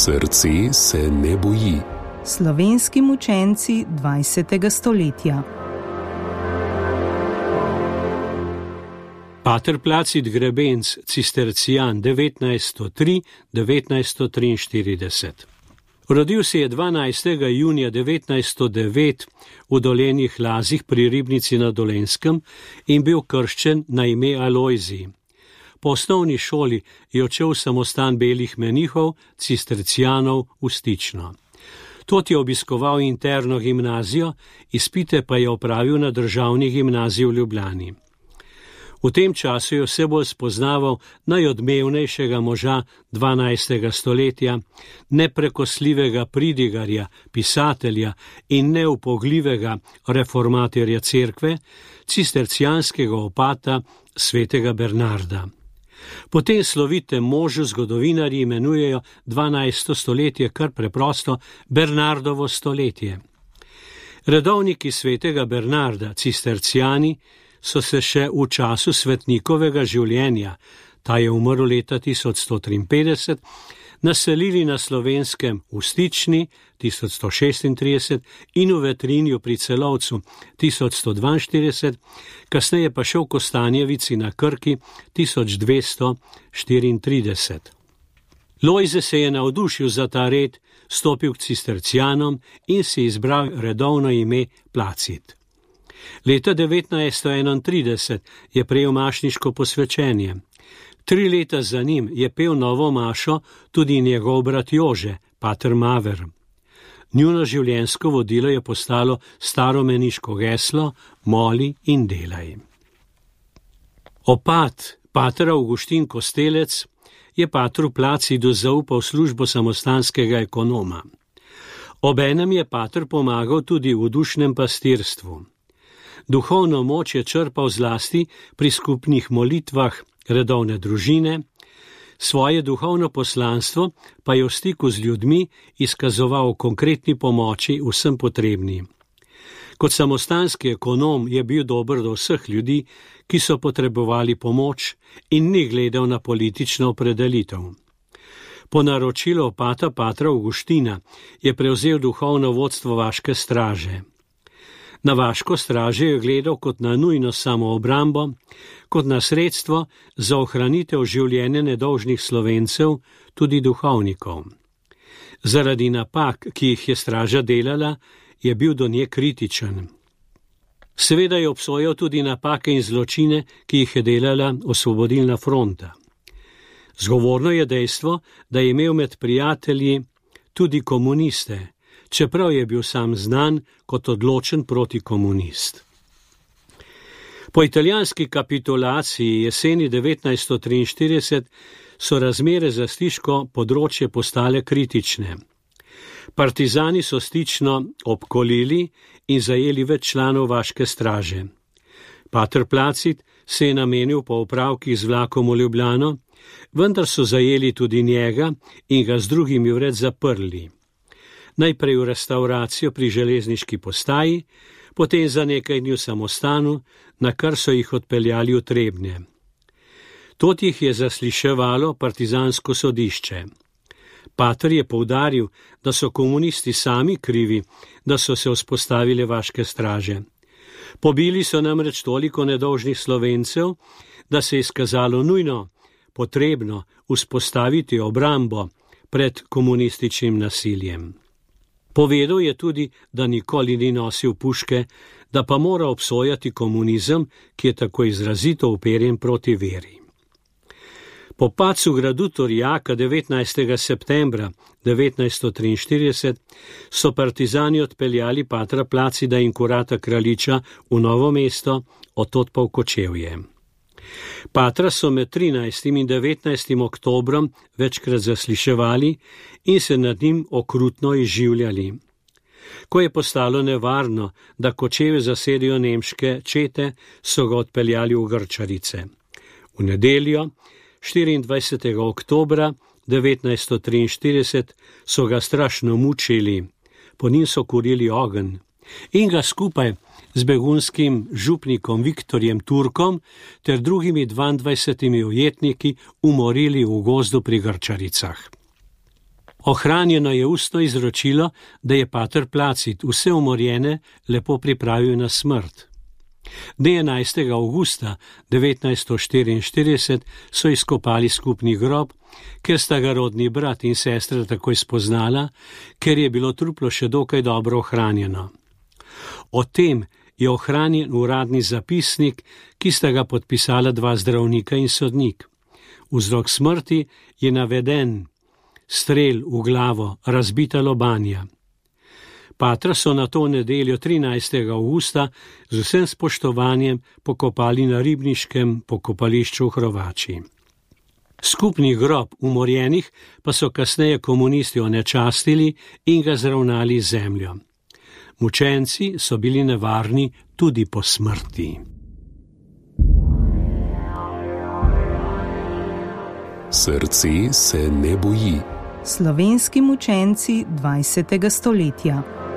Srce se ne boji. Slovenski mučenci 20. stoletja. Pater Placid Grebenc, cistercijan 1903–1943. Rodil se je 12. junija 1909 v Dolenjih Lazih pri Ribnici na Dolenjskem in bil krščen na ime Alojzij. Po osnovni šoli je odšel v samostan belih menihov, cistercijanov v Stično. Tod je obiskoval interno gimnazijo, izpite pa je opravil na državni gimnaziji v Ljubljani. V tem času je vse bolj spoznaval najodmevnejšega moža 12. stoletja, neprekosljivega pridigarja, pisatelja in neupogljivega reformatorja cerkve, cistercijanskega opata svetega Bernarda. Po tem slovitem možu zgodovinarji imenujejo 12. stoletje kar preprosto Bernardovo stoletje. Redovniki svetega Bernarda, cistercijani, so se še v času svetnikovega življenja, ta je umrl leta 1153, naselili na Slovenskem v Stični 1136 in v Vetrinju pri Celovcu 1142, kasneje pa še v Kostanjevici na Krki 1234. Lojze se je navdušil za ta red, stopil k cistercijanom in si izbral redovno ime Placid. Leta 1931 je prejel mašniško posvečenje. 3 leta za njim je pel novo mašo tudi njegov brat Jože, pater Maver. Njuno življenjsko vodilo je postalo staromeniško geslo Moli in delaj. Opat, pater Avguštin Kostelec, je patru Placidu zaupal službo samostanskega ekonoma. Obenem je pater pomagal tudi v dušnem pastirstvu. Duhovno moč je črpal zlasti pri skupnih molitvah redovne družine, svoje duhovno poslanstvo pa je v stiku z ljudmi izkazoval konkretni pomoči vsem potrebnim. Kot samostanski ekonom je bil dober do vseh ljudi, ki so potrebovali pomoč in ni gledal na politično opredelitev. Po naročilu opata patra Avguština je prevzel duhovno vodstvo vaške straže. Na vaško straže je gledal kot na nujno samoobrambo, kot na sredstvo za ohranitev življenja nedolžnih Slovencev, tudi duhovnikov. Zaradi napak, ki jih je straža delala, je bil do nje kritičen. Seveda je obsojal tudi napake in zločine, ki jih je delala Osvobodilna fronta. Zgovorno je dejstvo, da je imel med prijatelji tudi komuniste, čeprav je bil sam znan kot odločen protikomunist. Po italijanski kapitulaciji jeseni 1943 so razmere za stiško področje postale kritične. Partizani so Stično obkolili in zajeli več članov vaške straže. Pater Placid se je namenil po opravkih z vlakom v Ljubljano, vendar so zajeli tudi njega in ga z drugimi vred zaprli. Najprej v restavracijo pri železniški postaji, potem za nekaj dni v samostanu, na kar so jih odpeljali v Trebnje. Tod jih je zasliševalo partizansko sodišče. Pater je poudaril, da so komunisti sami krivi, da so se vzpostavile vaške straže. Pobili so namreč toliko nedolžnih Slovencev, da se je izkazalo nujno potrebno vzpostaviti obrambo pred komunističnim nasiljem. Povedal je tudi, da nikoli ni nosil puške, da pa mora obsojati komunizem, ki je tako izrazito uperjen proti veri. Po padcu gradu Torjaka 19. septembra 1943 so partizani odpeljali patra Placida in kurata Kraljiča v Novo mesto, odtod pa v Kočevje. Patra so med 13. in 19. oktobrom večkrat zasliševali in se nad njim okrutno izživljali. Ko je postalo nevarno, da Kočevje zasedijo nemške čete, so ga odpeljali v Grčarice. V nedeljo, 24. oktobra 1943, so ga strašno mučili, po njim so kurili ogenj in ga skupaj z begunskim župnikom Viktorjem Turkom ter drugimi 22 ujetniki umorili v gozdu pri Grčaricah. Ohranjeno je ustno izročilo, da je pater Placid vse umorjene lepo pripravil na smrt. Dne 11. avgusta 1944 so izkopali skupni grob, ker sta ga rodni brat in sestra takoj spoznala, ker je bilo truplo še dokaj dobro ohranjeno. O tem je ohranjen uradni zapisnik, ki sta ga podpisala 2 zdravnika in sodnik. Vzrok smrti je naveden: strel v glavo, razbita lobanja. Patra so na to nedeljo 13. avgusta z vsem spoštovanjem pokopali na ribniškem pokopališču v Hrovači. Skupni grob umorjenih pa so kasneje komunisti onečastili in ga zravnali z zemljo. Mučenci so bili nevarni tudi po smrti. Srce se ne boji. Slovenski mučenci 20. stoletja.